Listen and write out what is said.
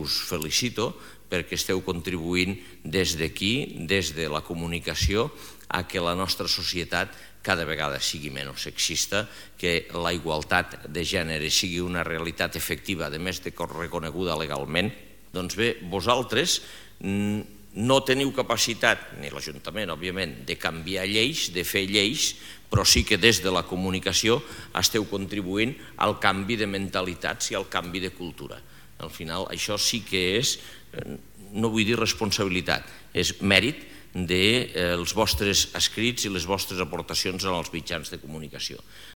us felicito perquè esteu contribuint des d'aquí, des de la comunicació, a que la nostra societat cada vegada sigui menys sexista, que la igualtat de gènere sigui una realitat efectiva, a més de reconeguda legalment. Doncs bé, vosaltres no teniu capacitat, ni l'Ajuntament, òbviament, de canviar lleis, de fer lleis, però sí que des de la comunicació esteu contribuint al canvi de mentalitats i al canvi de cultura. Al final, això sí que és, no vull dir responsabilitat, és mèrit dels vostres escrits i les vostres aportacions en els mitjans de comunicació.